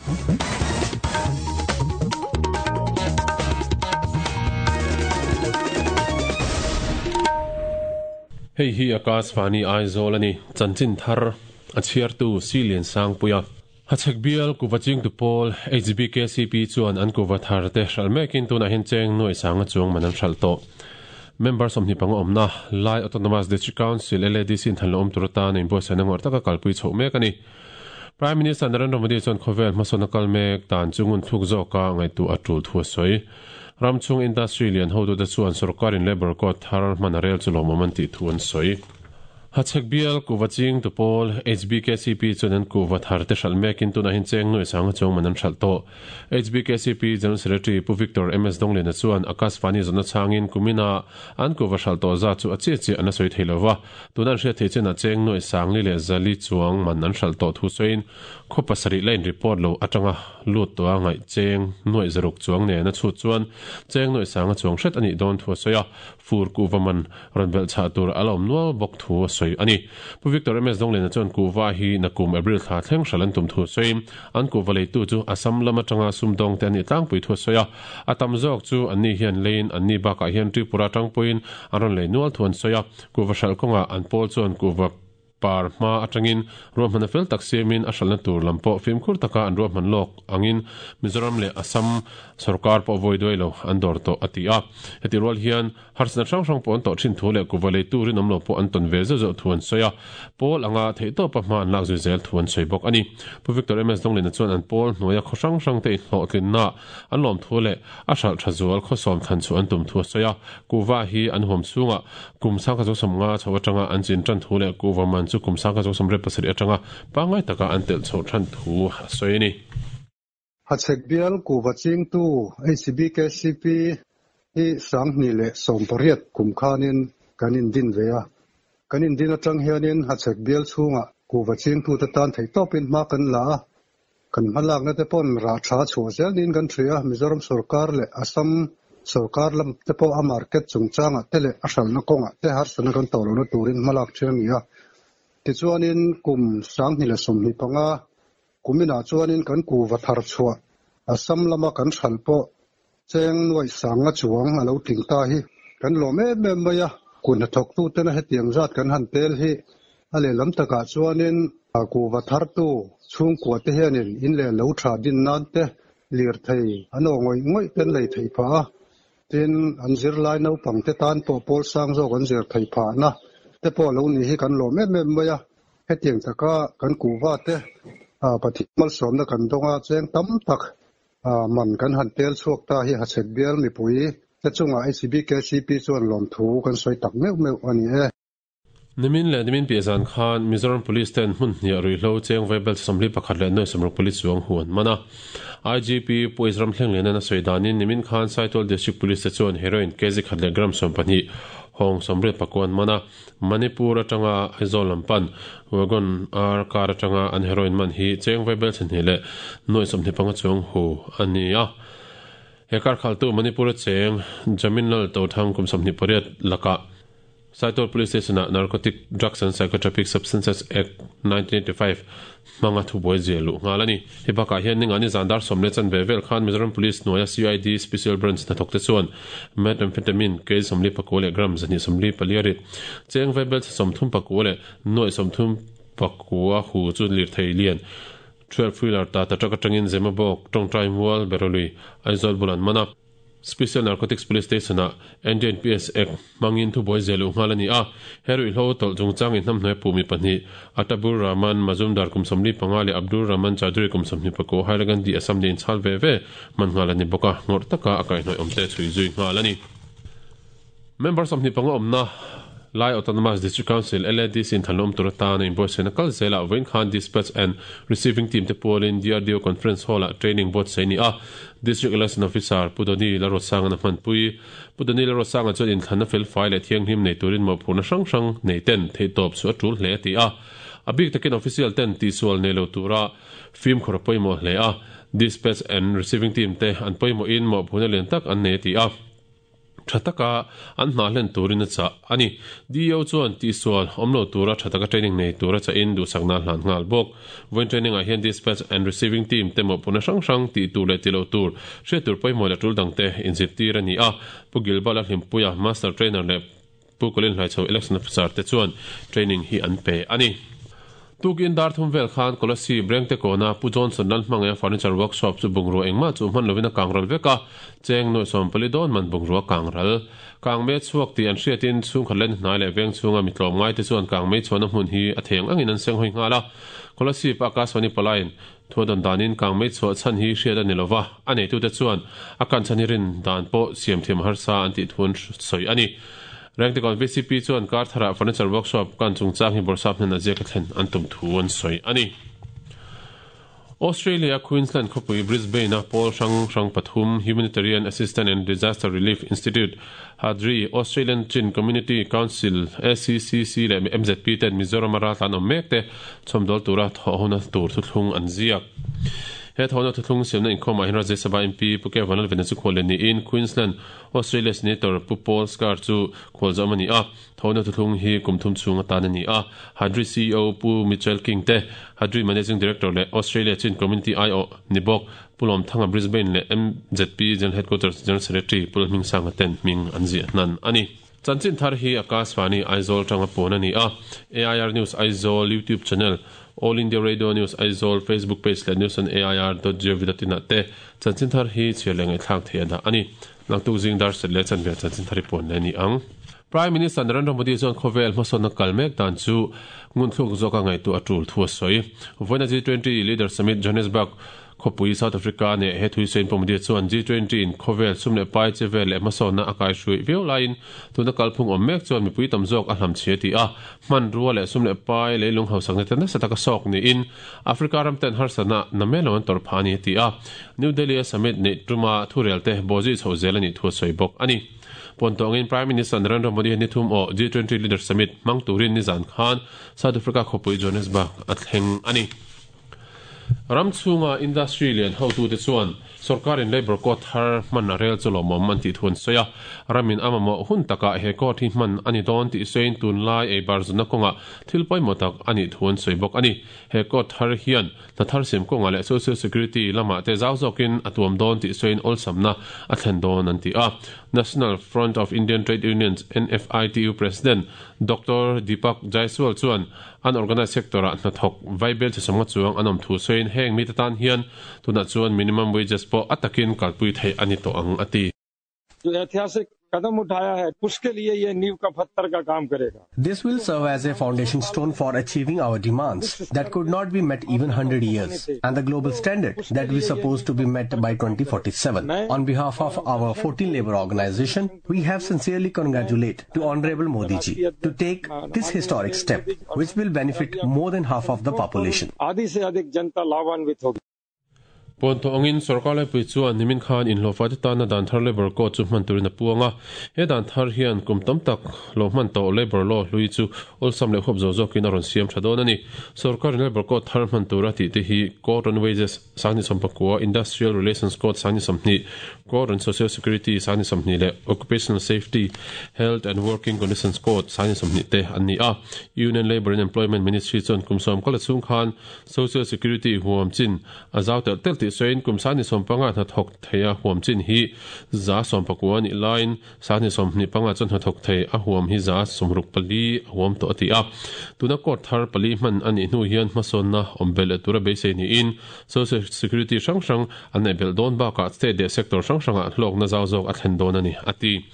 Hei hi Akashvani Aizawl a ni. Chanchin thar a chhiartu Si Liansangpuia. Hachhek bial kuva chingtu pawl HBKCP chuan an kuva thar te hralh mekin tunah hian cheng nuai sanga chuang man an hralh tawh. Member 25 awmna Lai Autonomous District Council, LADC, in than lo awm tur atan a inbuatsaihna ngawrh taka kalpui chhoh mek a ni. Prime Minister Narendra Modi chuan khawvel hmasawn a kal mek dan chu ngun thluk zawka ngaihtuah a tul thu a sawi. Ram chhung industry lian hotute chuan sorkarin labour code thar hman a rel chu lawmawm an tih thu an sawi. Hachhek bial kuhva ching tu pawl HBKCP chuan an kuhva thar te hralh mekin tunah hian cheng nuai sanga chuang man an hralh tawh. HBKCP General Secretary Pu Victor MS Dongliana chuan Akashvani zawhna chhangin kumina an kuhva hralh tawh zat chu a chiah chiah an la sawi thei lova, tuna an hriat theih chenah cheng nuai sangli leh zali chuang man an hralh tawh thu sawiin khaw pasarih la in report lo atanga lut tawha ngaih cheng nuaih zaruk chuang nen a chhut chuan cheng nuaih sanga chuang hret a nih dawn thu a sawi a. Fur kuhva man rawn belh chhah tur a la awm nual bawk thu a sawi a ni. Pu Victor MS Dongliana chuan kuhva hi nakum April thla thleng hral an tum thu sawiin an kuhva leitu chu Assam lam atanga sumdawngte an nih tlangpui thu a sawi a. A tam zawk chu anni hian leiin anni bakah hian Tripura atang pawhin an rawn lei nual thu an sawi a. Kuhva hralh kawngah an pawl chuan kuhva Par hma atangin ruahmanna fel tak siamin a hralhna tur lam pawh fimkhur taka an ruahman lawk angin Mizoram leh Assam sorkar pawh vawi duai lo an dawr tawh a ti a. Heti rual hian harsatna hrang hrang pawh an tawh thin thu leh kuva leitu rinawm lo pawh an tawn ve zeuh zeuh thu an sawi a, pawl anga theihtawpa hma an lak zui zel thu an sawi bawk a ni. Pu Victor MS Donglina chuan an pawl hnuaia khaw hrang hrangte inhlawhtlinna an lawm thu leh a hralh tha zual khawsawm thlan chu an tum thu a sawi a, kuhva hi an huam chhungah kum sangkhat zawk sawmnga chho atanga an chin tan thu leh kuhva man chu kum sangkhat zawk 87 atanga pangngai taka an telh chhoh than thu a sawi a ni. Hachhek bial kuhva chingtu HBKCP hi 2018 kum khanin kan indin ve a, kan indin atang hianin Hachhek bial chhungah kuhva chingtute tan theihtawpin hma kan la a, Kan hmalakna te pawn rah tha chhuah zel niin kan hria a, Mizoram sorkar leh Assam sorkar lam te pawh a market chungchangah te leh a hralhna kawngah te harsatna kan tawh lohna turin hmalak ṭhin a ni a. Tichuanin kum 2025 kuminah chuanin kan kuva thar chhuah Assam lama kan hralh pawh cheng nuaih sanga chuang a lo tling ta hi kan lawm em em mai a, kut hnathawktutena hetiang zat kan han tel hi a lehlam takah chuanin kuhva thartu chhungkua te hianin in leh lo tha din nan te lirthei an aw ngawih ngawih te an lei theih phah a, tin an zirlai naupang te tan pawh pawl sang zawk an zir theih phahna te pawh lo nih hi kan lawm em em mai a, hetiang taka kan kuhva te Pathian malsawmna kan dawng a, cheng tam tak Man kan han tel chhuak ta hi Hachhek bial mipui te chungah HBKCP chuan lawmthu kan sawi tak meuh meuh a ni e. Nimin leh nimin piah zan khan Mizoram Police ten hmun hniah ruihhlo cheng vaibel 41 leh nuai sawmruk pali chuang hu an man a. IGP Pu Ezram Thlenglenan a sawi danin nimin khan Saitual District Police te chuan heroin kg khat leh gram 12 hawng 84 an man a. Manipur atanga Aizawl lam pan Wagon R car atanga an heroin man hi cheng vaibel chhehnih leh nuaih 25 chuang hu a ni a. He car khaltu Manipur-a cheng Jaminlal Tothang kum 28 lakah Saitual Police Station-ah Narcotic Drugs and Psychotropic Substances Act, 1985 hmanga thubuai zia luh nghal a ni. Hei bakah hian ningani zan dar sawm leh chanve vel khan Mizoram Police hnuaia CID Special Branch hnathawk te chuan Methamphetamine kg 44 leh gram 124 rit, cheng vaibel chhe 34 leh nuaih 34 hu chu lirthei lian 12 wheeler Tata truck atangin Zemabawk, Tawngtai Mual, Berolui, Aizawl bul an man a. Special Narcotics Police Station-ah NDNPS Act hmangin thubuai zia luh nghal a ni a. He ruihhlo tawlh chungchang inhnamhnuai puh mi pahnih, Atabur Rahman Mazumdar kum 45 leh Abdur Rahman Chowdhury kum 21 Hailakandi Assam nih inchhal ve ve hman nghal a ni bawk a, ngawrh taka a kaihhnawih awmte chhui zui nghal a ni. Member 25 awmna Lai Autonomous District Council, LADC, in thanlawm tur atana inbuatsaihna kal zelah vawiin khan Dispatch and Receiving Team te pualin DRDO Conference Hall-ah training buatsaih a ni a. District Election Officer Pu Doni Lalruatsanga'n a hmanpui. Pu Doni Lalruatsanga chuan inthlanna felfai leh thianghlim nei turin mawhphurhna hrang hrang nei ten theihtawp chu a tul hle a ti a. A bik takin official ten tihsual nei lo tura fimkhur a pawimawh hle a. Dispatch and Receiving Team te an pawimawhin mawhphurhna lian tak an nei a ti a. Tha taka an hna hlen turin a chah a ni. DEO chuan tihsual awm lo tura tha taka training nei tura chahin duhsakna a hlan nghal bawk. Vawiin training ah hian Dispatch and Receiving Team te mawhphurhna hrang hrang tih tur leh tih loh tur, hriat tur pawimawh leh tul dangte inzirtir a ni a. Pu Gilbal a hlimpuia Master Trainer leh Pu Colin Hlaichho Election Officer te chuan training hi an pe a ni. Tukin dar thum vel khan Kolasib Rengte kawna Pu Johnson Lalhmangaia Furniture Workshop chu bungrua engmah chu hman lovin a kangral vek a, cheng nuaih 14 dawn man bungrua kangral. Kangmei a chhuak tih an hriatin chhungkhat len hnai leh veng chhunga mi tlawmngai te chuan kangmei chhuahna hmun hi a theng angin an senghawi nghal a. Kolasib a Akashvani palaiin Thu a dawn danin kangmei chhuah chhan hi hriat a ni lova, a neitute chuan a kan chhan hi rin dan pawh siam thiam harsa an tih thu an sawi a ni. Rengtikawn vcp chuan kar tharah furniture workshop kan chungchang hi Bawrhsap hnenah ziaka thlen an tum thu an sawi a ni. Australia Queensland khawpui Brisbane-a pawl hrang hrang pathum Humanitarian Assistance and Disaster Relief Institute, HADRI, Australian Chin Community Council, ACCC, leh MZP ten Mizoram-a raltlan awm mek te chhawmdawl tura thawhhona tur thuthlung an ziak. He thawhna thuthlung siamna inkhawmah hian Rajya Sabha MP Pu Kevan Lalvena chu khual leh niin Queensland Australia Senator Pu Paul Scarr chu khual zawm a ni a. Thawhna thuthlung hi kum thum chhung atan a ni a. HADRI CEO Pu Mitchell King te, HADRI Managing Director leh Australia Chin Community aiawh ni bawk Pu Lawmthanga Brisbane leh MZP General Headquarters General Secretary Pu Lalhmingsanga ten hming an ziah hnan a ni. Chanchin thar hi Akashvani Aizawl tanga pawn a ni a, AIR News Aizawl YouTube channel, All India Radio News Aizawl Facebook page leh news on air dot gov dot in ah te chanchin thar hi chhiar leh ngaihthlak theih a dah a ni. Naktuk zing dar set leh chanve ah chanchin thar i pawn leh a ni ang. Prime Minister Narendra Modi chuan khawvel hmasawnna kal mek dan chu ngunthluk zawka ngaihtuah a tul thu a sawi. Vawiina G20 Leaders Summit Johannesburg Khawpui South Africa neh he thui sawiin Pawmdia chuan G20 in khawvel sum leh pai che vel leh hmasawnna a kaihruih viau laiin tuna kalphung awm mek chuan mipui tam zawk a hlamchhia ti a, hmanrua leh sum leh pai leilung hausakna te nasa taka sawk niin Africa ram ten harsatna na mai lo an tawrh phah a ni a ti a. New Delhi a summit neih tuma thurel te bawhzui chhoh zel a nih thu a sawi bawk a ni. Pawn tawngin Prime Minister Narendra Modi hian ni thum aw G20 Leaders Summit hmang turin nizan khan South Africa khawpui Johannesburg a thleng a ni. Ram chhunga industry lian hotute chuan sorkarin labour code thar hman a rel chu lawmawm an tih thu an sawi a. Ramin a mamawh hun takah he code hi hman a ni dawn tih sawiin tunlai ei bar zunna kawngah thil pawimawh tak a nih thu an sawi bawk a ni. He code thar hian hna thar siam kawngah leh social security lamah te zau zawkin a tuam dawn tih sawiin awlsamna a thlen dawn an ti a. National Front of Indian Trade Unions, NFITU, President Doctor Deepak Jaiswal chuan Unorganised sector-ah hnathawk vaibel chi sawmnga chuang an awm thu sawiin heng mite tan hian tunah chuan minimum wages pawh a takin kalpui theih a ni tawh ang a ti. जो ऐतिहासिक कदम उठाया है उसके लिए ये नींव का पत्थर का काम करेगा। This will serve as a foundation stone for achieving our demands that could not be met even 100 years and the global standard that we supposed to be met by 2047. On behalf of our 14 labor organization, we have sincerely congratulate to Honorable Modi ji to take this historic step which will benefit more than half of the population. आधी से अधिक जनता लाभान्वित होगी। Pawn tawh angin sorkar laipui chuan nimin khan inhlawhfa te tana dan thar labour code chu hman turin a puang a. He dan thar hian kum tam tak lo hman tawh labour law hlui chu awlsam leh huap zawh zawkin a rawn siam tha dawn a ni. Sorkarin labour code thar hman tura tih te hi Code on Wages sangni sawmpakua, Industrial Relations Code sangni 20, Code on Social Security sangni 20 leh Occupational Safety, Health and Working Conditions Code sangni 20 te an ni a. Union Labour and Employment Ministry chuan kum sawm kala chhung khan Social Security huam chin a zau telh telh tih sawiin kum sangni 15 hnathawk thei a huam chin hi 110 a nih laiin sangni 25 chuan hnathawk thei a huam hi 64 a huam tawh a ti a. Tuna court thar pali hman a nih hnu hian hmasawnna awm belh leh tura beisei niin Social Security hrang hrang an neih belh dawn bakah state leh sector hrang hrangah hlawkna zau zawk a thlen dawn a ni, a ti.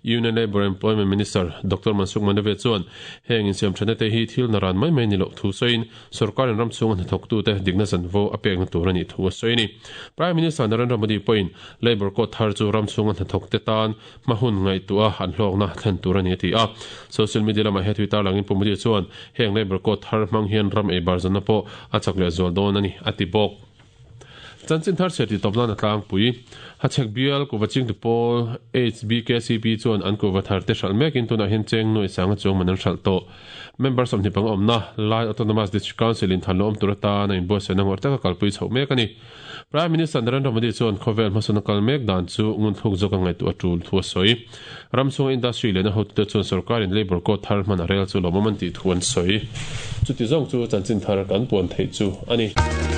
Union Labour Employment Minister Doctor Mansukh Mandaviya chuan heng insiamthatna te hi thil naran mai mai ni loh thu sawiin sorkarin ram chhunga hnathawktute dikna zanvo a pekna tur a nih thu a sawi a ni. Prime Minister Narendra Modi pawhin Labour Code thar chu ram chhunga hnathawkte tan hma hun ngaihtuah an hlawkna thlen tur a ni a ti a. Social media lamah he tui tarlangin Pu Modi chuan heng Labour Code thar hmang hian ram ei bar zanna pawh a chak leh zual dawn a ni, a ti bawk. Chanchin thar chhiar tih tawp nan a tlangpui. Hachhek bial kuhva chingtu pawl HBKCP chuan an kuhva thar te hralh mekin tunah hian cheng nuai sanga chuang man an hralh tawh. Member 20 panga awmna Lai Autonomous District Council in than lawm tur atan a inbuatsaihna ngawrh taka kalpui chhoh mek a ni. Prime Minister Narendra Modi chuan khawvel hmasawn a kal mek dan chu ngunthluk zawk a ngaihtuah a tul thu a sawi. Ram chhunga industry lehna hotute chuan sorkarin labour code thar hman a rel chu lawmawm an tih thu an sawi. Chuti zawng chu chanchin thar kan puan theih chu a ni.